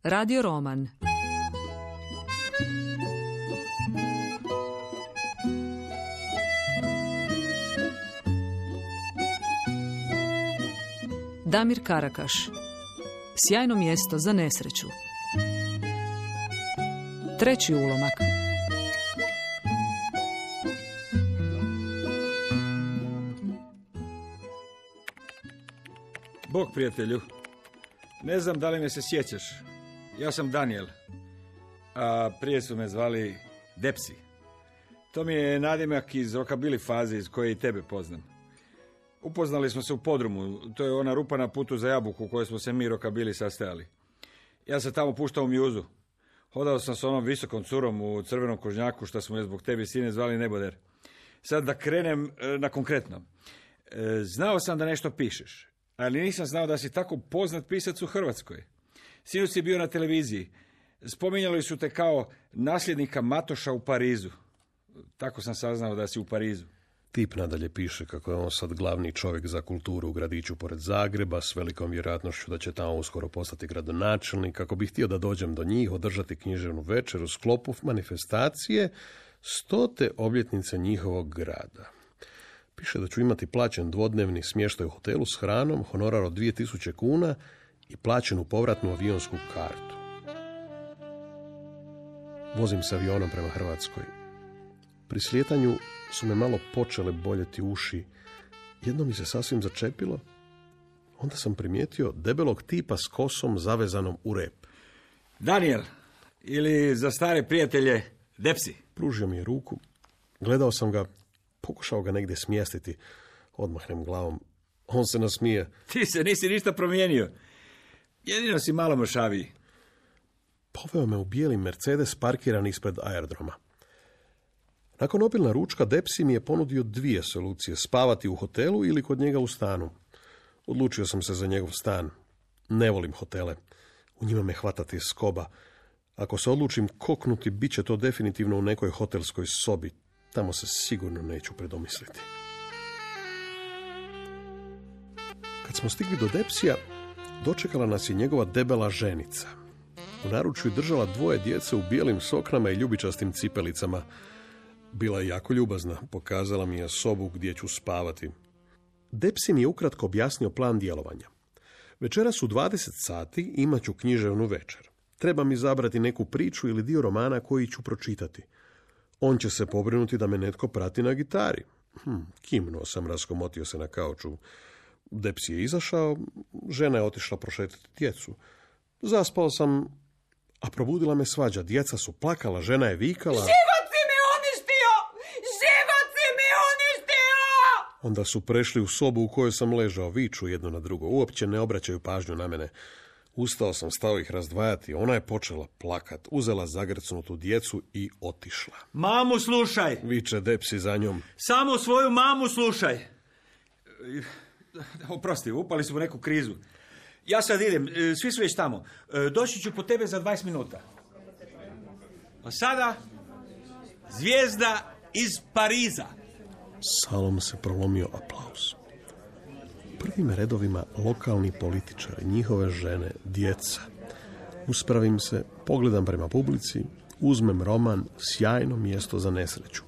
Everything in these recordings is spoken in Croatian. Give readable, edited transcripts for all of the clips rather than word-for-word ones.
Radio roman. Damir Karakaš. Sjajno mjesto za nesreću. Treći ulomak. Bog, prijatelju. Ne znam da li me se sjećaš. Ja sam Daniel, a prije su me zvali Depsi. To mi je nadimak iz rockabilly faze iz koje i tebe poznam. Upoznali smo se u podrumu, to je ona rupa na putu za Jabuku u kojoj smo se mi rockabilly sastajali. Ja sam tamo puštao mjuzu. Hodao sam s onom visokom curom u crvenom kožnjaku što smo je zbog te visine zvali Neboder. Sad da krenem na konkretno. Znao sam da nešto pišeš, ali nisam znao da si tako poznat pisac u Hrvatskoj. Sinoć si bio na televiziji. Spominjali su te kao nasljednika Matoša u Parizu. Tako sam saznao da si u Parizu. Tip nadalje piše kako je on sad glavni čovjek za kulturu u gradiću pored Zagreba, s velikom vjerojatnošću da će tamo uskoro postati gradonačelnik, kako bi htio da dođem do njih, održati književnu večer u sklopu manifestacije 100. obljetnice njihovog grada. Piše da ću imati plaćen dvodnevni smještaj u hotelu s hranom, honorar od 2000 kuna i plaćenu povratnu avionsku kartu. Vozim se avionom prema Hrvatskoj. Pri slijetanju su me malo počele boljeti uši. Jedno mi se sasvim začepilo. Onda sam primijetio debelog tipa s kosom zavezanom u rep. Daniel, ili za stare prijatelje Depsi. Pružio mi je ruku. Gledao sam ga, pokušao ga negdje smjestiti. Odmahnem glavom. On se nasmije. Ti se nisi ništa promijenio. Jedino si malo mršaviji. Poveo me u bijeli Mercedes parkiran ispred aerodroma. Nakon obilna ručka Depsi mi je ponudio 2 solucije, spavati u hotelu ili kod njega u stanu. Odlučio sam se za njegov stan. Ne volim hotele. U njima me hvatati skoba. Ako se odlučim koknuti, bit će to definitivno u nekoj hotelskoj sobi. Tamo se sigurno neću predomisliti. Kad smo stigli do Depsija, dočekala nas je njegova debela ženica. U naručju držala 2 djece u bijelim soknama i ljubičastim cipelicama. Bila je jako ljubazna, pokazala mi je sobu gdje ću spavati. Depsi mi je ukratko objasnio plan djelovanja. Večeras u 20 sati imat ću književnu večer. Treba mi izabrati neku priču ili dio romana koji ću pročitati. On će se pobrinuti da me netko prati na gitari. Kimnuo sam, raskomotio se na kauču. Depsi je izašao, žena je otišla prošetati djecu. Zaspao sam, a probudila me svađa. Djeca su plakala, žena je vikala. Onda su prešli u sobu u kojoj sam ležao, viču jedno na drugo, uopće ne obraćaju pažnju na mene. Ustao sam, stao ih razdvajati, ona je počela plakat, uzela zagrcnutu djecu i otišla. Mamu slušaj! Viče Depsi za njom. Samo svoju mamu slušaj! Oprosti, upali smo u neku krizu. Ja sad idem, svi su već tamo. Doći ću po tebe za 20 minuta. A sada, zvijezda iz Pariza. Salom se prolomio aplauz. U prvim redovima lokalni političari, njihove žene, djeca. Uspravim se, pogledam prema publici, uzmem roman Sjajno mjesto za nesreću.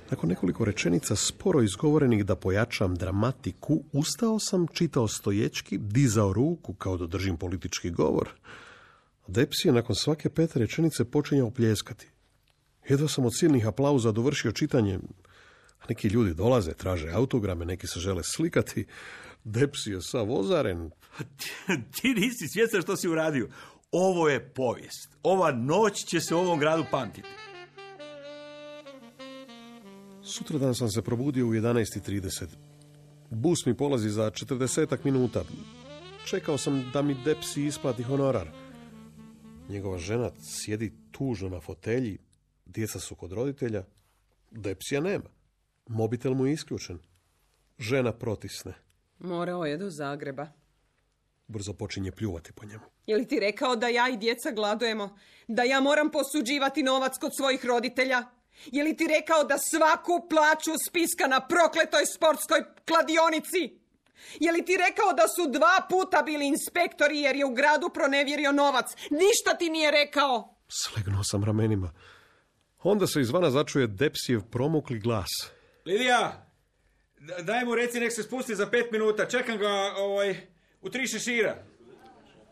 Nakon nekoliko rečenica sporo izgovorenih da pojačam dramatiku, ustao sam, čitao stoječki, dizao ruku kao da držim politički govor. Depsi je nakon svake 5 rečenice počinjao pljeskati. Jedva sam od silnih aplauza dovršio čitanje. Neki ljudi dolaze, traže autograme, neki se žele slikati. Depsi je sav ozaren. Ti nisi svjestan što si uradio. Ovo je povijest. Ova noć će se u ovom gradu pamtiti. Sutradan sam se probudio u 11:30. Bus mi polazi za 40 minuta. Čekao sam da mi Depsi isplati honorar. Njegova žena sjedi tužno na fotelji. Djeca su kod roditelja. Depsija nema. Mobitel mu je isključen. Žena protisne. Morao je do Zagreba. Brzo počinje pljuvati po njemu. Je li ti rekao da ja i djeca gladujemo? Da ja moram posuđivati novac kod svojih roditelja? Je li ti rekao da svaku plaću spiska na prokletoj sportskoj kladionici? Je li ti rekao da su 2 puta bili inspektori jer je u gradu pronevjerio novac? Ništa ti nije rekao. Slegnuo sam ramenima. Onda se izvana začuje Depsijev promukli glas. Lidija, daj mu reci nek se spusti za 5 minuta. Čekam ga u 3 šešira.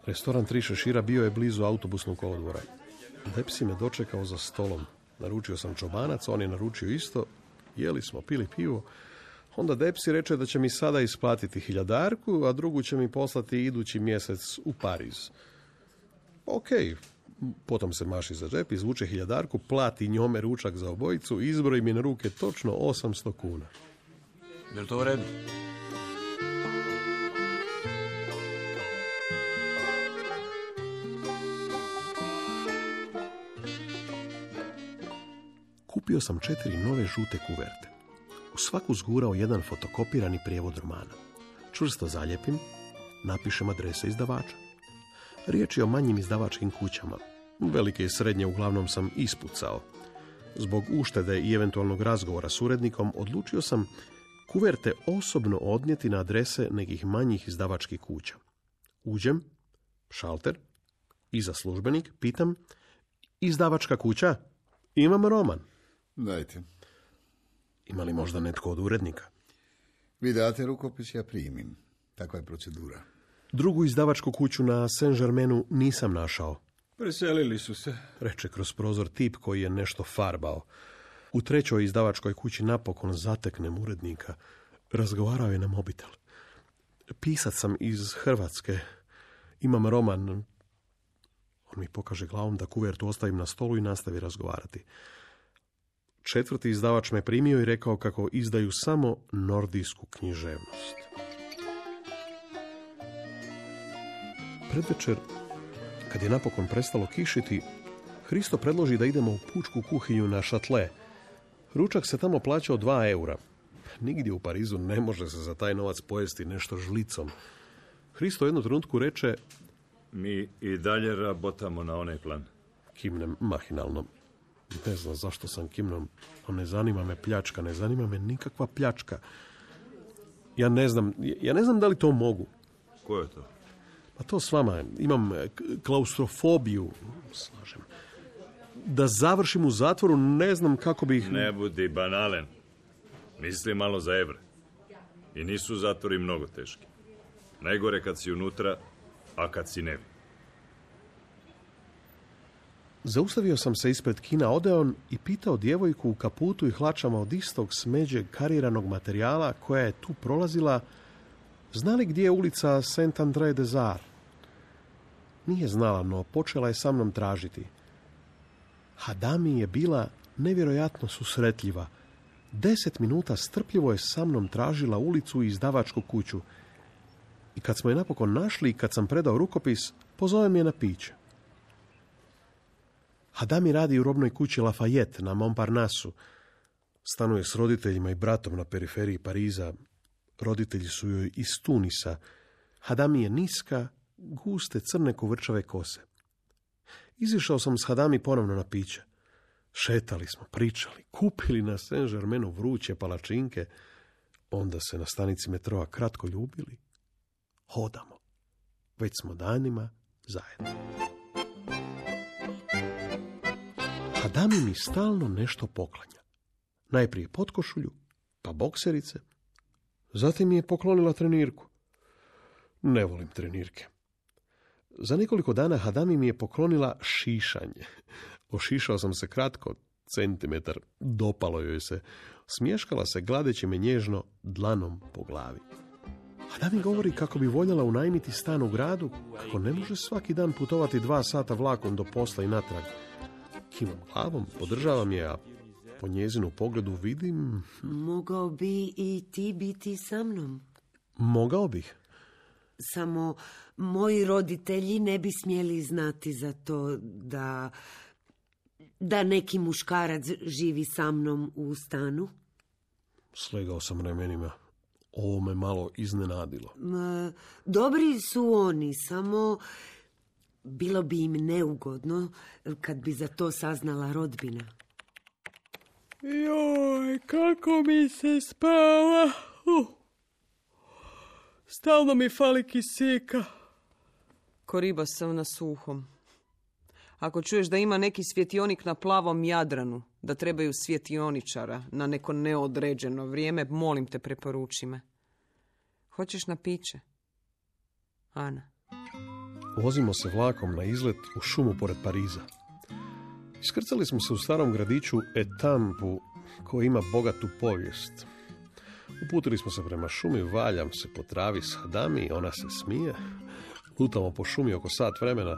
Restoran 3 šešira bio je blizu autobusnog kolodvora. Depsi me dočekao za stolom. Naručio sam čobanac, on je naručio isto. Jeli smo, pili pivo. Onda Depsi reče da će mi sada isplatiti 1000, a drugu će mi poslati idući mjesec u Pariz. Ok, potom se maši za džep, izvuče 1000, plati njome ručak za obojicu, izbroji mi na ruke točno 800 kuna. Je li to u redu? Kupio sam 4 nove žute kuverte. U svaku zgurao jedan fotokopirani prijevod romana. Čvrsto zalijepim, napišem adrese izdavača. Riječ je o manjim izdavačkim kućama. Velike i srednje uglavnom sam ispucao. Zbog uštede i eventualnog razgovora s urednikom odlučio sam kuverte osobno odnijeti na adrese nekih manjih izdavačkih kuća. Uđem, šalter, iza službenik, pitam, izdavačka kuća? Imam roman. Dajte. Ima li možda netko od urednika? Vi date rukopis, ja primim. Takva je procedura. Drugu izdavačku kuću na Saint-Germainu nisam našao. Preselili su se. Reče kroz prozor tip koji je nešto farbao. U 3. izdavačkoj kući napokon zateknem urednika. Razgovarao je na mobitel. Pisac sam iz Hrvatske. Imam roman. On mi pokaže glavom da kuvertu ostavim na stolu i nastavi razgovarati. 4. izdavač me primio i rekao kako izdaju samo nordijsku književnost. Predvečer, kad je napokon prestalo kišiti, Hristo predloži da idemo u pučku kuhinju na Šatle. Ručak se tamo plaćao 2 eura. Nigdje u Parizu ne može se za taj novac pojesti nešto žlicom. Hristo jednu trenutku reče: Mi i dalje rabotamo na onaj plan. Kimnem mahinalno. Ne znam zašto sam kimnom, no ne zanima me pljačka, ne zanima me nikakva pljačka. Ja ne znam da li to mogu. Ko je to? Pa to s vama, imam klaustrofobiju, slažem. Da završim u zatvoru, ne znam kako bih... Ne budi banalen. Misli malo za evre. I nisu zatvori mnogo teški. Najgore kad si unutra, a kad si nevi. Zaustavio sam se ispred kina Odeon i pitao djevojku u kaputu i hlačama od istog smeđeg kariranog materijala koja je tu prolazila, zna li gdje je ulica Saint-André-des-Arts? Nije znala, no počela je sa mnom tražiti. Hadami je bila nevjerojatno susretljiva. 10 minuta strpljivo je sa mnom tražila ulicu i izdavačku kuću. I kad smo je napokon našli i kad sam predao rukopis, pozove me na piće. Hadami radi u robnoj kući Lafayette na Montparnassu. Stanuje s roditeljima i bratom na periferiji Pariza. Roditelji su joj iz Tunisa. Hadami je niska, guste, crne kovrčave kose. Izišao sam s Hadami ponovno na piće. Šetali smo, pričali, kupili na Saint-Germainu vruće palačinke. Onda se na stanici metroa kratko ljubili. Hodamo. Već smo danima zajedno. Hadami mi stalno nešto poklanja. Najprije potkošulju, pa bokserice. Zatim mi je poklonila trenirku. Ne volim trenirke. Za nekoliko dana Hadami mi je poklonila šišanje. Ošišao sam se kratko, centimetar. Dopalo joj se. Smješkala se gladeći me nježno dlanom po glavi. Hadami govori kako bi voljela unajmiti stan u gradu, kako ne može svaki dan putovati 2 sata vlakom do posla i natrag. Kimam glavom, podržavam je, a po njezinu pogledu vidim... Mogao bi i ti biti sa mnom. Mogao bih. Samo moji roditelji ne bi smjeli znati za to da neki muškarac živi sa mnom u stanu. Slegao sam ramenima. Ovo me malo iznenadilo. Dobri su oni, samo bilo bi im neugodno kad bi za to saznala rodbina. Joj, kako mi se spava. Stalno mi fali kisika. Ko riba sam na suhom. Ako čuješ da ima neki svjetionik na plavom Jadranu, da trebaju svjetioničara na neko neodređeno vrijeme, molim te, preporuči me. Hoćeš na piće? Ana. Vozimo se vlakom na izlet u šumu pored Pariza. Iskrcali smo se u starom gradiću Etampu, koji ima bogatu povijest. Uputili smo se prema šumi, valjam se po travi s Hadami, ona se smije. Lutamo po šumi oko sat vremena,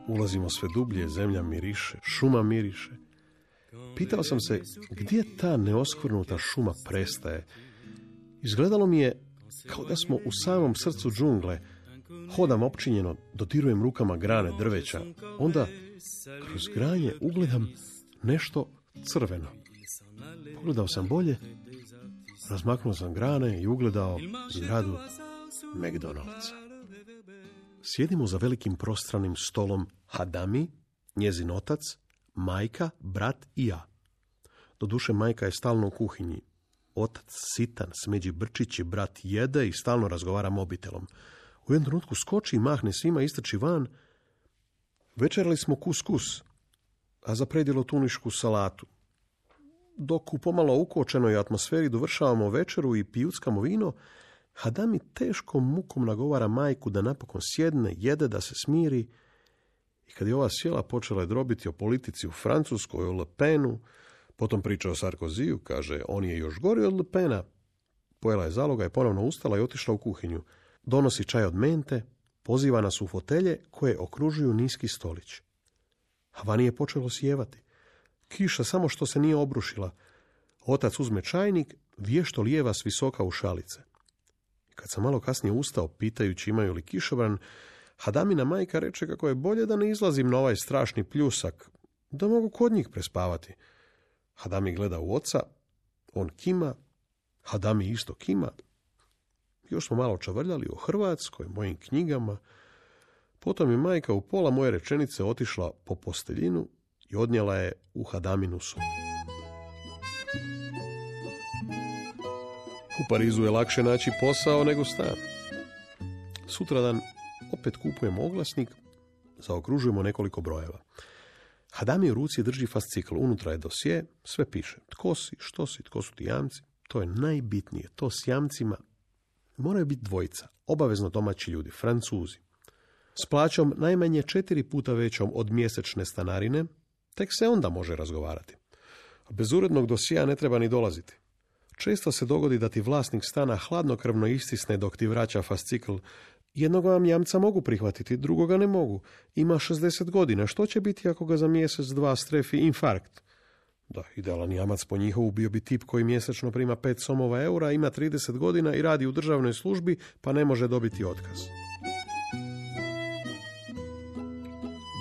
ulazimo sve dublje, zemlja miriše, šuma miriše. Pitao sam se gdje ta neoskvrnuta šuma prestaje. Izgledalo mi je kao da smo u samom srcu džungle. Hodam opčinjeno, dodirujem rukama grane drveća. Onda kroz granje ugledam nešto crveno. Pogledao sam bolje, razmaknuo sam grane i ugledao zgradu McDonald'sa. Sjedimo za velikim prostranim stolom Hadami, njezin otac, majka, brat i ja. Doduše, majka je stalno u kuhinji. Otac sitan, smeđi brčići, brat jede i stalno razgovara mobitelom. U jednom trenutku skoči i mahne svima, istrči van. Večerali smo kuskus, a za predjelo tunišku salatu. Dok u pomalo ukočenoj atmosferi dovršavamo večeru i pijuckamo vino, Hadami teškom mukom nagovara majku da napokon sjedne, jede, da se smiri. I kad je ova sjela, počela je drobiti o politici u Francuskoj, o Le Penu, potom priča o Sarkoziju, kaže, on je još gori od Le Pena. Pojela je zaloga i ponovno ustala i otišla u kuhinju. Donosi čaj od mente, poziva nas u fotelje koje okružuju niski stolić. A vani je počelo sjevati. Kiša samo što se nije obrušila. Otac uzme čajnik, vješto lijeva s visoka u šalice. Kad sam malo kasnije ustao, pitajući imaju li kišobran, Hadamina majka reče kako je bolje da ne izlazim na ovaj strašni pljusak, da mogu kod njih prespavati. Hadami gleda u oca, on kima, Hadami isto kima. Još smo malo čavrljali o Hrvatskoj, mojim knjigama. Potom je majka u pola moje rečenice otišla po posteljinu i odnijela je u Hadaminu sobu. U Parizu je lakše naći posao nego stan. Sutradan opet kupujemo oglasnik, zaokružujemo nekoliko brojeva. Hadami u ruci drži fascikl, unutra je dosje, sve piše. Tko si, što si, tko su ti jamci, to je najbitnije. To s jamcima moraju biti dvojica, obavezno domaći ljudi, Francuzi. S plaćom najmanje 4 puta većom od mjesečne stanarine, tek se onda može razgovarati. Bez urednog dosjea ne treba ni dolaziti. Često se dogodi da ti vlasnik stana hladnokrvno istisne dok ti vraća fascikl. Jednog vam jamca mogu prihvatiti, drugoga ne mogu. Ima 60 godina, što će biti ako ga za mjesec, dva strefi infarkt? Da, idealan jamac po njihovu bio bi tip koji mjesečno prima 5 somova eura, ima 30 godina i radi u državnoj službi, pa ne može dobiti otkaz.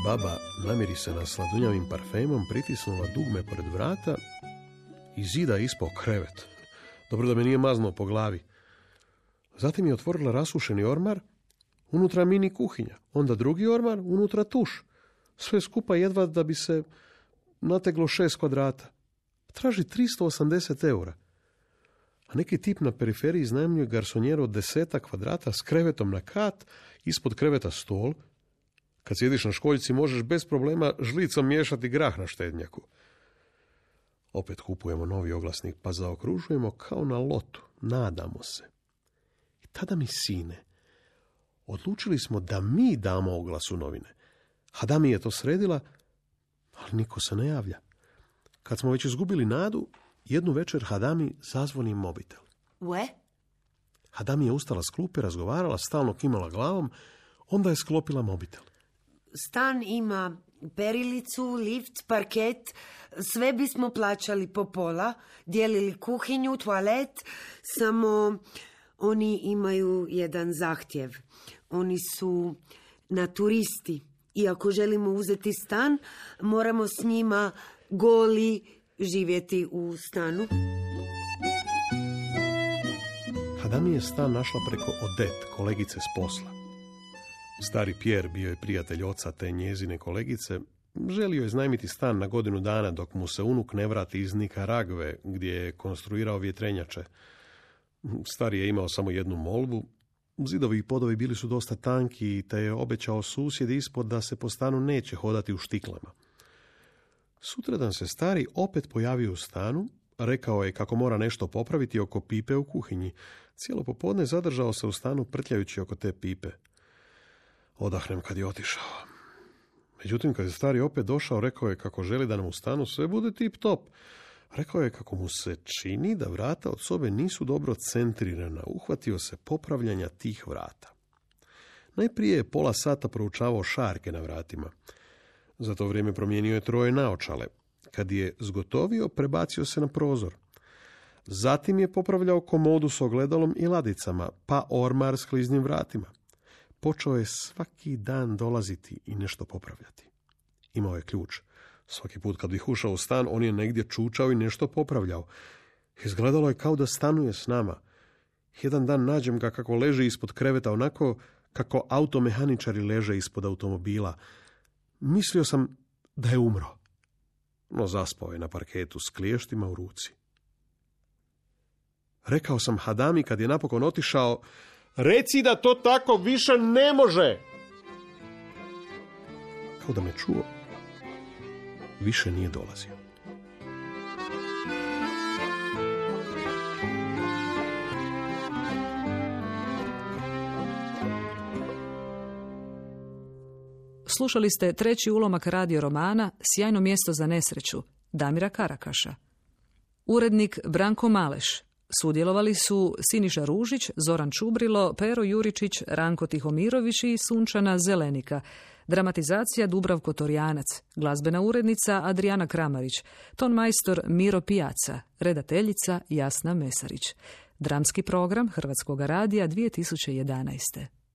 Baba namiri se na sladunjavim parfemom, pritisnula dugme pored vrata i zida ispao krevet. Dobro da me nije maznuo po glavi. Zatim je otvorila rasušeni ormar, unutra mini kuhinja, onda drugi ormar, unutra tuš. Sve skupa jedva da bi se nateglo 6 kvadrata. Traži 380 eura. A neki tip na periferiji iznajmljuje garsonjeru od 10 kvadrata s krevetom na kat, ispod kreveta stol. Kad sjediš na školjci možeš bez problema žlicom miješati grah na štednjaku. Opet kupujemo novi oglasnik, pa zaokružujemo kao na lotu. Nadamo se. I tada mi sine, odlučili smo da mi damo oglas u novine. Hadami je to sredila, ali niko se ne javlja. Kad smo već izgubili nadu, jednu večer Hadami zazvoni mobitel. Ue? Hadami je ustala s klupe, razgovarala, stalno kimala glavom, onda je sklopila mobitel. Stan ima perilicu, lift, parket, sve bismo plaćali po pola, dijelili kuhinju, toalet, samo oni imaju jedan zahtjev. Oni su naturisti i ako želimo uzeti stan, moramo s njima goli živjeti u stanu. Hadami je stan našla preko Odette, kolegice s posla. Stari Pierre bio je prijatelj oca te njezine kolegice. Želio je iznajmiti stan na godinu dana dok mu se unuk ne vrati iz Nikaragve, gdje je konstruirao vjetrenjače. Stari je imao samo jednu molbu, Zidovi i podovi bili su dosta tanki, te je obećao susjed ispod da se po stanu neće hodati u štiklama. Sutradan se stari opet pojavio u stanu, rekao je kako mora nešto popraviti oko pipe u kuhinji. Cijelo popodne zadržao se u stanu prtljajući oko te pipe. Odahnem kad je otišao. Međutim, kad je stari opet došao, rekao je kako želi da nam u stanu sve bude tip top. Rekao je kako mu se čini da vrata od sobe nisu dobro centrirana. Uhvatio se popravljanja tih vrata. Najprije je pola sata proučavao šarke na vratima. Za to vrijeme promijenio je 3 naočale. Kad je zgotovio, prebacio se na prozor. Zatim je popravljao komodu s ogledalom i ladicama, pa ormar s kliznim vratima. Počeo je svaki dan dolaziti i nešto popravljati. Imao je ključ. Svaki put kad bih ušao u stan, on je negdje čučao i nešto popravljao. Izgledalo je kao da stanuje s nama. Jedan dan nađem ga kako leži ispod kreveta, onako kako automehaničari leže ispod automobila. Mislio sam da je umro. No zaspao je na parketu s kliještima u ruci. Rekao sam Hadami kad je napokon otišao: reci da to tako više ne može! Kao da me čuo, više nije dolazio. Slušali ste 3. ulomak radio romana Sjajno mjesto za nesreću Damira Karakaša. Urednik Branko Maleš. Sudjelovali su Siniša Ružić, Zoran Čubrilo, Pero Juričić, Ranko Tihomirović i Sunčana Zelenika. Dramatizacija Dubravko Torjanac, glazbena urednica Adriana Kramarić, tonmajstor Miro Pijaca, redateljica Jasna Mesarić. Dramski program Hrvatskog radija 2011.